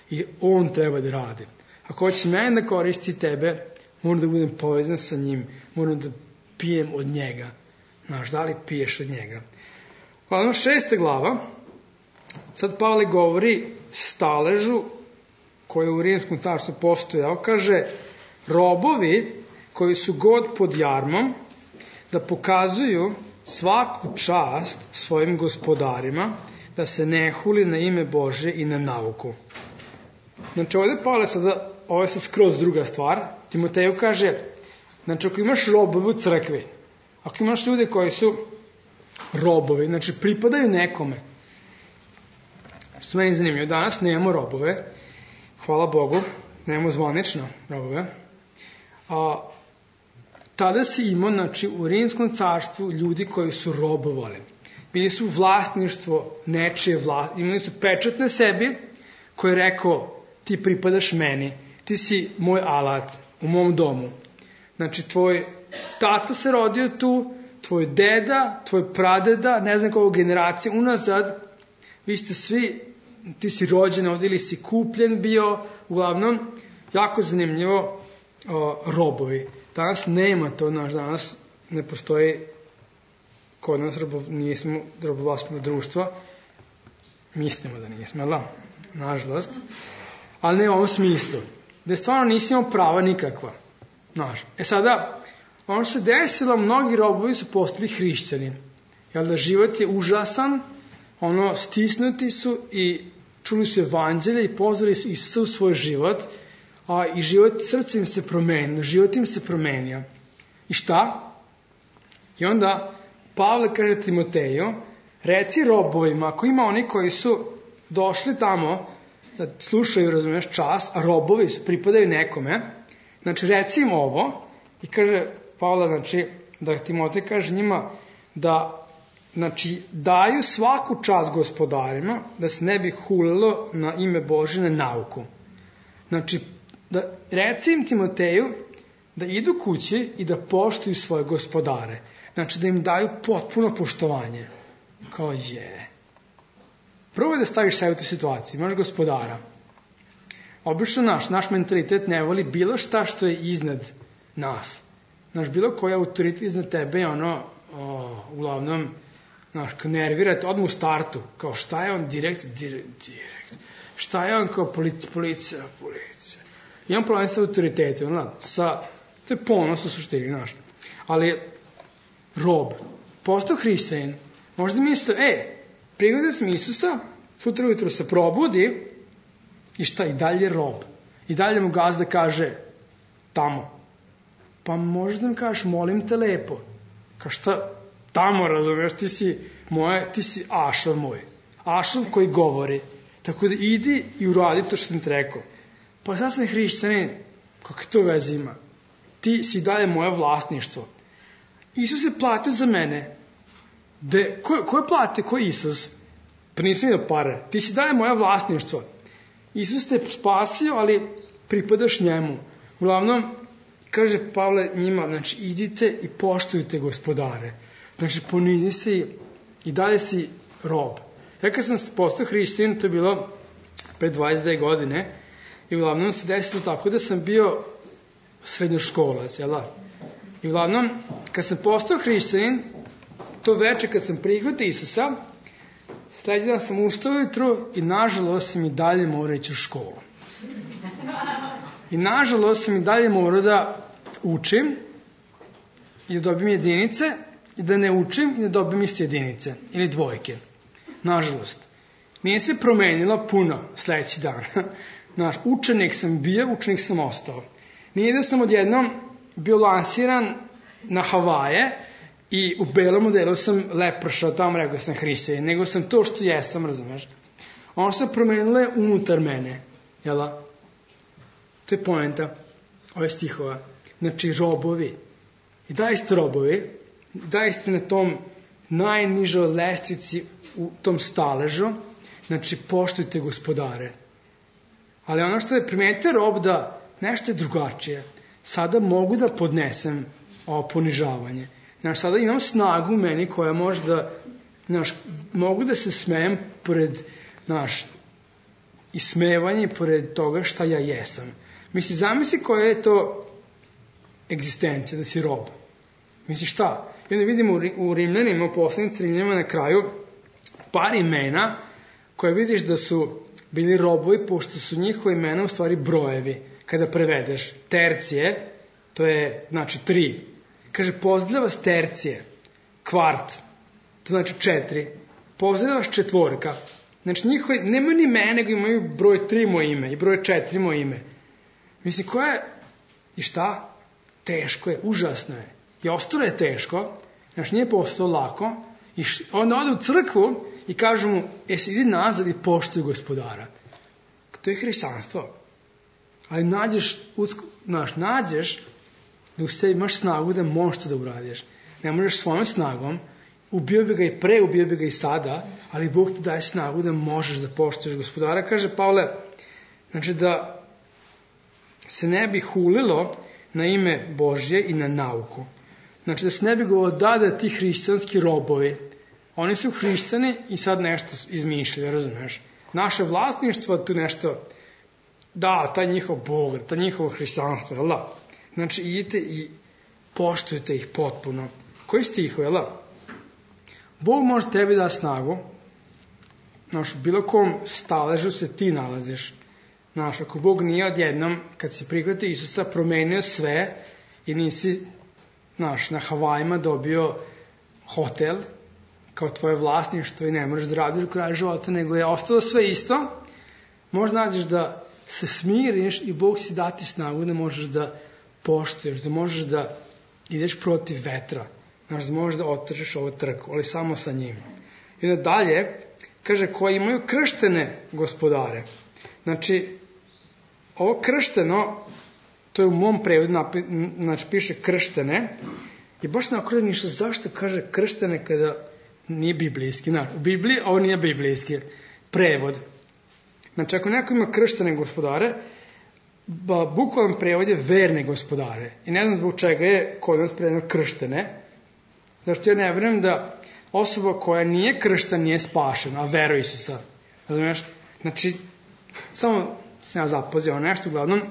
i on treba da radi. Ako hoćeš mene da koristi tebe, moram da budem povezan sa njim, moram da pijem od njega. Znaš, da li piješ od njega? Hvala, šesta glava. Sad Pavle govori staležu koji u Rimskom carstvu postojao, kaže, robovi koji su god pod jarmom, da pokazuju svaku čast svojim gospodarima, da se ne huli na ime Bože i na nauku. Znači, ovdje Pavle sada, ovo je sad skroz druga stvar, Timoteju kaže, znači, ako imaš robove u crkvi, ako imaš ljude koji su robovi, znači, pripadaju nekome, što meni zanimljivo, danas nemamo robove, hvala Bogu, nemamo zvanično robove, a tada si imao, znači, u Rimskom carstvu ljudi koji su robovali. Bili su vlasništvo nečije vlasti, imali su pečat na sebi koji je rekao, ti pripadaš meni, ti si moj alat u mom domu. Znači, tvoj tata se rodio tu, tvoj deda, tvoj pradeda, ne znam koliko generacije unazad, vi ste svi, ti si rođen ovdje ili si kupljen bio, uglavnom, jako zanimljivo, o, robovi. Danas nema to, naš danas ne postoji kod nas, robo, nismo robovlasno društvo, mislimo da nismo, ali da, nažalost, ali ne u ovom smislu, da stvarno nisi imao prava nikakva. Znaš. E sada, ono što se desilo, mnogi robovi su postali hrišćani, jer da život je užasan, ono, stisnuti su i čuli su evanđelje i pozvali su Isusa u svoj život, a i život, srce im se promenio, život im se promenio. I šta? I onda Pavle kaže Timoteju, reci robovima, ako ima oni koji su došli tamo da slušaju, razumeš, čas, a robovi pripadaju nekome, znači reci im ovo, i kaže Pavle, znači, da Timotej kaže njima da, znači, daju svaku čast gospodarima, da se ne bi hulilo na ime Božje na nauku. Znači, da reci im Timoteju da idu kući i da poštuju svoje gospodare. Znači, da im daju potpuno poštovanje. Kao je. Prvo je da staviš sebe u tu situaciju. Imaš gospodara. Obično naš, naš mentalitet ne voli bilo šta što je iznad nas. Znaš, bilo koji autoritet iznad tebe je ono, o, uglavnom, znaš, kao nervirate odmah u startu. Kao šta je on direkt, direkt, direkt. Šta je on kao policija, policija, policija. Imam problem sa autoritetom, ono, sa, to je ponos u suštini, znaš. Ali, rob, postao hrišćanin, možda misle, e, prihvatio sam Isusa, sutra ujutro se probudi i šta, i dalje rob. I dalje mu gazda kaže, tamo. Pa možda mi kažeš, molim te lepo. Kao šta, tamo, razumiješ, ti si moje, ti si Ašov moj. Ašov koji govori. Tako da idi i uradi to što sam ti rekao. Pa sad sam hrišćanin, kako to veze ima? Ti si dalje moje vlasništvo. Isus je platio za mene. De, ko, ko je platio? Ko je Isus? Pa nisam vidio pare. Ti si dalje moje vlasništvo. Isus te spasio, ali pripadaš njemu. Uglavnom, kaže Pavle njima, znači idite i poštujte gospodare. Znači ponizi se i, i dalje si rob. Ja kad sam postao hrišćanin, to je bilo pre dvadeset dve godine, i uglavnom se desilo tako da sam bio srednjoškolac, jel da? I uglavnom, kad sam postao hrišćanin, to veče kad sam prihvatio Isusa, sledeći dan sam ustao ujutru i nažalost sam i dalje morao ići u školu. I nažalost sam i dalje morao da učim i da dobijem jedinice i da ne učim i da dobijem isto jedinice ili dvojke. Nažalost. Nije se promenilo puno sledeći dan. Naš, učenik sam bio, učenik sam ostao. Nije da sam odjednom bio lansiran na Havaje i u belom modelu sam lepršao tamo, rekao sam hrišćanin, nego sam to što jesam, razumeš? Ono se promenilo je unutar mene, jel da? To je poenta ove stihova. Znači, robovi. I da ste robovi, da ste na tom najnižoj lestvici u tom staležu, znači, poštujte gospodare. Ali ono što je primetio rob da nešto je drugačije. Sada mogu da podnesem ovo ponižavanje. Znači, sada imam snagu u meni koja može da, znaš, mogu da se smejem pored, znaš, ismevanje pored toga šta ja jesam. Misli, zamisli koja je to egzistencija, da si rob. Misli, šta? I onda vidimo u Rimljanima, u poslanici Rimljanima na kraju, par imena koje vidiš da su bili robovi, pošto su njihova imena u stvari brojevi. Kada prevedeš tercije, to je, znači, tri. Kaže, pozdravlja vas tercije, kvart, to znači četiri. Pozdravlja vas četvorka. Znači, njihovi, nemaju ni mene, nego imaju broj tri moje ime i broj četiri moje ime. Mislim, koja je, i šta? Teško je, užasno je. I ostalo je teško, znači nije postalo lako, i š, onda ode u crkvu i kaže mu, jesi idi nazad i poštuj gospodara. To je hrišćanstvo. Ali nađeš, znaš, nađeš da u sebi imaš snagu da možeš to da uradiš. Ne možeš svojom snagom, ubio bi ga i pre, ubio bi ga i sada, ali Bog ti daje snagu da možeš da poštuješ gospodara. Kaže Pavle, znači da se ne bi hulilo na ime Božje i na nauku. Znači da se ne bi govorilo da da ti hrišćanski robovi, oni su hrišćani i sad nešto izmišljaju, razumiješ? Naše vlasništvo tu nešto, da, taj njihov Bog, taj njihovo hrišćanstvo, jel da? Znači idite i poštujte ih potpuno. Koji stiho, jel da? Bog može tebi da snagu, znaš, u bilo kom staležu se ti nalaziš. Znaš, ako Bog nije odjednom, kad si prihvatio Isusa, promenio sve i nisi, znaš, na Havajima dobio hotel kao tvoje vlasništvo i ne možeš da radiš u kraju života, nego je ostalo sve isto, možda nađeš da se smiriš i Bog si dati snagu da možeš da poštuješ, da možeš da ideš protiv vetra, znaš, da možeš da otrčeš ovu trku, ali samo sa njim. I da dalje, kaže, koji imaju krštene gospodare. Znači, ovo kršteno, to je u mom prevodu, znači piše krštene, i baš na okrenu ništa, zašto kaže krštene kada nije biblijski. Znači, u Bibliji ovo nije biblijski prevod. Znači, ako neko ima krštene gospodare, bukvalan prevod je verne gospodare. I ne znam zbog čega je kod nas prevedeno krštene. Zašto ja ne vjerujem da osoba koja nije kršta nije spašena, a veruje Isusa. Razumiješ? Znači, samo sam ja zapazio nešto, uglavnom,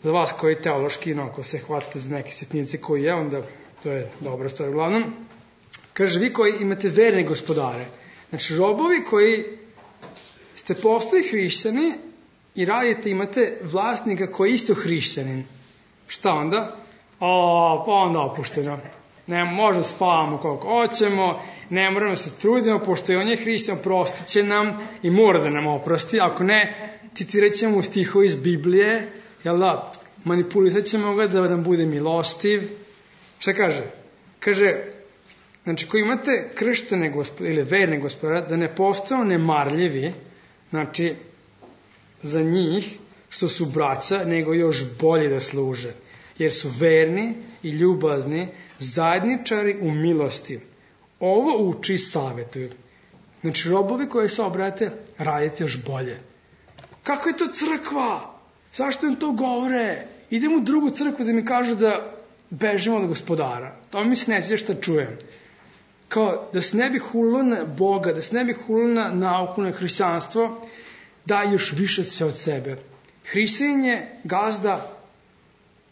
za vas koji teološki, no, ako se hvatite za neke sitnice koji je, onda to je dobra stvar. Uglavnom, kaže, vi koji imate verne gospodare, znači robovi koji ste postali hrišćani i radite, imate vlasnika koji je isto hrišćanin. Šta onda? O, pa onda opušteno. Ne, možda spavamo koliko hoćemo, ne moramo se trudimo, pošto je on je hrišćan, prostit će nam i mora da nam oprosti. Ako ne, citirat ćemo u stihovi iz Biblije, jel da, manipulisat ćemo ga da nam bude milostiv. Šta kaže? Kaže, znači, ko imate krštene gospodare, ili verne gospodare, da ne postanu nemarljivi, znači, za njih, što su braća, nego još bolje da služe. Jer su verni i ljubazni, zajedničari u milosti. Ovo uči i savjetuju. Znači, robovi koji se obrate, radite još bolje. Kako je to crkva? Zašto im to govore? Idem u drugu crkvu da mi kažu da bežimo od gospodara. To mi se neće šta čujem. Kao da se ne bi hulilo na Boga, da se ne bi hulilo na nauku, na hrišćanstvo, da još više sve od sebe. Hrišćanin je gazda,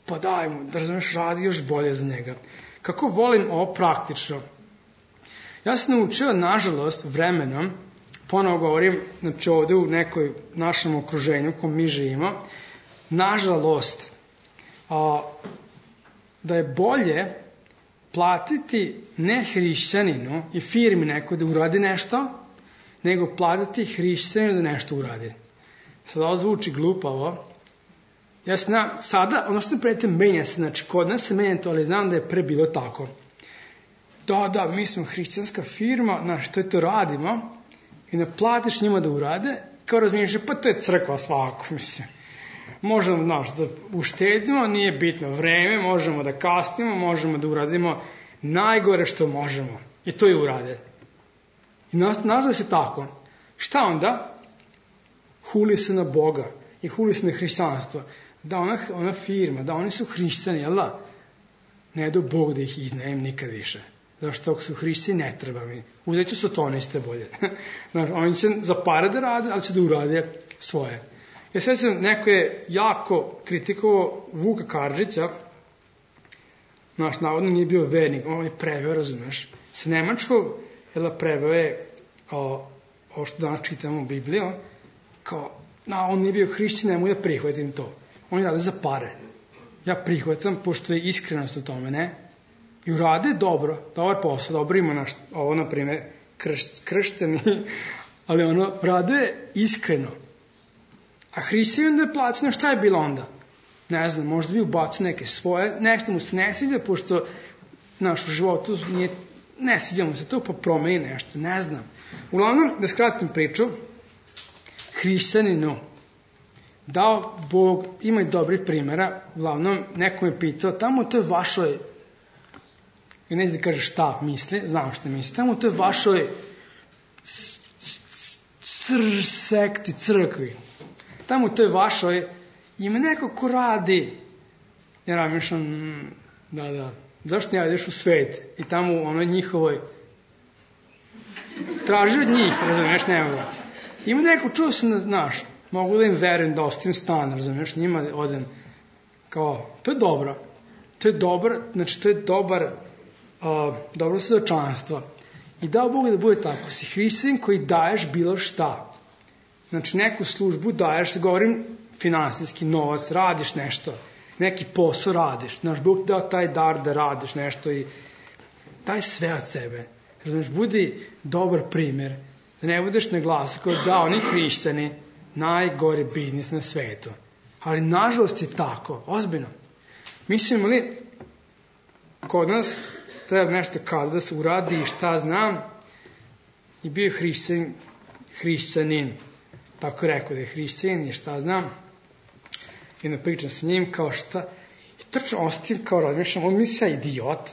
pa daj mu, da razumeš, radi još bolje za njega. Kako volim ovo praktično? Ja sam naučio, nažalost, vremenom, ponovo govorim, znači ovdje u nekoj našem okruženju u kom mi živimo, nažalost, a, da je bolje platiti ne hrišćaninu i firmi neko da uradi nešto, nego platiti hrišćaninu da nešto uradi. Sada ovo zvuči glupavo. Ja znam, sada, ono što se predite, menja se, znači kod nas se menja to, ali znam da je pre bilo tako. Da, da, mi smo hrišćanska firma, znaš, to je to radimo, i ne platiš njima da urade, kao razmišljaš, pa to je crkva svako, mislim. Možemo, znaš, da uštedimo, nije bitno vreme, možemo da kasnimo, možemo da uradimo najgore što možemo. I to i urade. I nažalost je tako. Šta onda? Huli se na Boga i huli se na hrišćanstvo. Da ona, ona firma, da oni su hrišćani, jel da? Ne do Bog da ih iznejem nikad više. Zašto ako su hrišćani ne treba mi. Uzet ću sotoniste bolje. Znaš, oni će za pare da rade, ali će da urade svoje. Ja sad sam, neko je jako kritikovao Vuka Karadžića, znaš, navodno nije bio vernik, on je preveo, razumeš, s nemačkog, jel preveo je o, o što danas čitamo u Bibliju, kao, na, on nije bio hrišćan, nemoj da prihvatim to. On je rade za pare. Ja prihvatam, pošto je iskrenost u tome, ne? I urade dobro, dobar posao, dobro ima naš, ovo, na primjer, krš, kršteni, ali ono, rade iskreno. A hrišćanin da je plaćeno, šta je bilo onda? Ne znam, možda bi ubacio neke svoje, nešto mu se ne sviđa, pošto naš u životu nije, ne sviđa mu se to, pa promeni nešto, ne znam. Uglavnom, da skratim priču, hrišćaninu dao Bog, ima i dobrih primjera, uglavnom, neko me pitao, tamo to je vašoj, i ne znam da kaže šta misli, znam šta misli, tamo to je vašoj cr sekti, crkvi, tamo to je vašoj, ima neko ko radi, ja razmišljam, da, da, zašto ne ideš u svet i tamo u onoj njihovoj, traži od njih, razumiješ, ne mogu. Ima neko, čuo sam, znaš, mogu da im verujem, da ostavim stan, razumiješ, njima odem, kao, to je dobro, to je dobro, znači to je dobar, uh, dobro svedočanstvo. I dao Bog da bude tako, si hrišćanin koji daješ bilo šta. Znači neku službu daješ, govorim finansijski, novac, radiš nešto, neki posao radiš, znaš, Bog dao taj dar da radiš nešto i daj sve od sebe. Znači, budi dobar primjer, da ne budeš na glasu kao da oni hrišćani najgori biznis na svetu. Ali nažalost je tako, ozbiljno. Mislim li, kod nas treba nešto kada da se uradi i šta znam, i bio je hrišćanin hrišćanin. Tako je rekao da je hrišćanin i šta znam. I da pričam sa njim kao šta. I trčno ostim kao razmišljam, on misli ja idiot.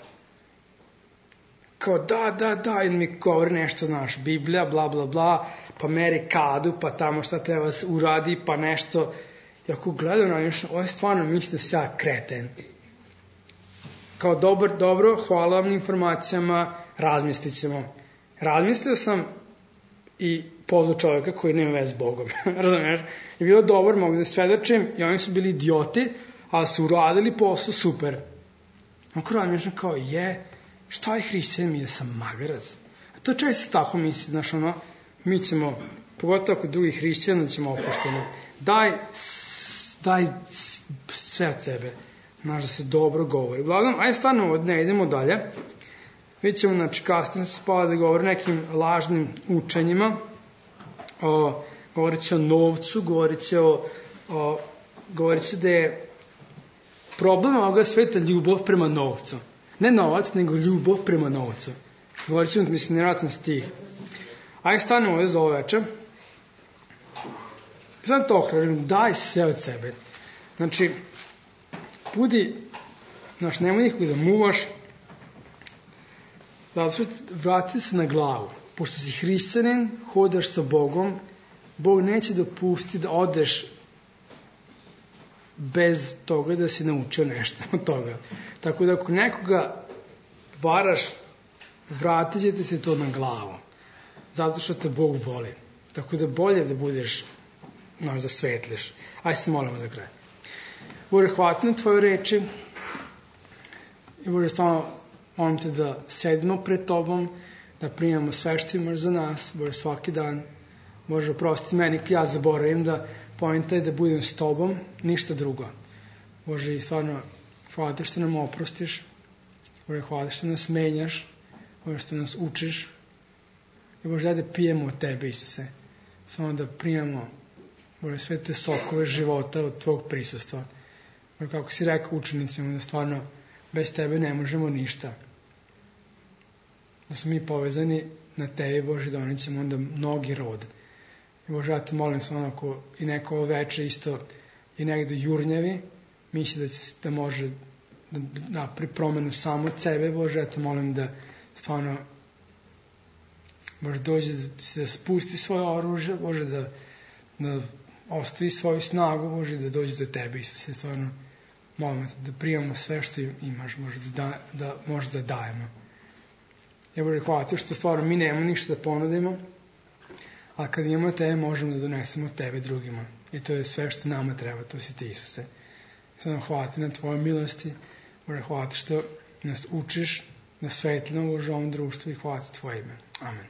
Kao da, da, da, i mi govori nešto, znaš, Biblija, bla, bla, bla, pa meri kadu, pa tamo šta treba se uradi, pa nešto. I ako gledam na nešto, ovo je stvarno misli da se ja kreten. Kao dobar, dobro, hvala vam na informacijama, razmislit ćemo. Razmislio sam i pozvao čovjeka koji nema veze s Bogom. Razumiješ? Je bilo dobro, mogu da svedočim, i oni su bili idioti, ali su uradili posao super. Ako razmišljam kao je, šta je hrišćanin, mi da sam magarac. A to često se tako misli, znaš ono, mi ćemo, pogotovo kod drugih hrišćana, ćemo opušteno. Daj, daj sve od sebe. Znaš da se dobro govori. Uglavnom, ajde stvarno od ne idemo dalje. Vidjet ćemo, znači, kasnije se spala da govori nekim lažnim učenjima. O, govorit će o novcu, govorit će o, o govorit će da je problem ovoga sveta ljubav prema novcu. Ne novac, nego ljubav prema novcu. Govorit ćemo, mislim, nevjerojatan stih. Ajde stanemo ovdje za ovo večer. Znam to ohražim, daj sve od sebe. Znači, budi, znaš, nemoj nikog da muvaš, zato što vrati se na glavu. Pošto si hrišćanin, hodaš sa Bogom, Bog neće dopustiti da odeš bez toga da si naučio nešto od toga. Tako da ako nekoga varaš, vratit će ti se to na glavu. Zato što te Bog voli. Tako da bolje da budeš, znaš, da svetliš. Ajde se molimo za kraj. Bože, hvala na tvoje reči i Bože, stvarno molim te da sedimo pred tobom, da primamo sve što imaš za nas, Bože, svaki dan. Bože, oprosti meni, ja zaboravim da poenta je da budem s tobom, ništa drugo. Bože, i stvarno, hvala te što nam oprostiš, Bože, hvala što nas menjaš, Bože, što nas učiš, i Bože, da pijemo od tebe, Isuse, samo da primamo, Bože, sve te sokove života od tvog prisustva. Bože, kako si rekao učenicima, da stvarno bez tebe ne možemo ništa. Da smo mi povezani na tebi, Bože, da oni ćemo onda mnogi rod. I Bože, ja te molim samo ako i neko ovo veče isto i negdje jurnjavi, misli da, da može da napri promenu samo od sebe, Bože, ja te molim da stvarno Bože, dođe da, da spusti svoje oružje, Bože, da, da ostavi svoju snagu, Bože, da dođe do tebe, Isuse, stvarno molim te da primamo sve što imaš, Bože, da, da možda da dajemo. Ja, Bože, hvala te što stvarno mi nemamo ništa da ponudimo, a kad imamo tebe, možemo da donesemo tebe drugima. I to je sve što nama treba, to si ti, Isuse. Stvarno hvala te na tvojoj milosti, Bože, hvala te što nas učiš na svetlinu, Bože, ovom društvu i hvala te tvoje ime. Amen.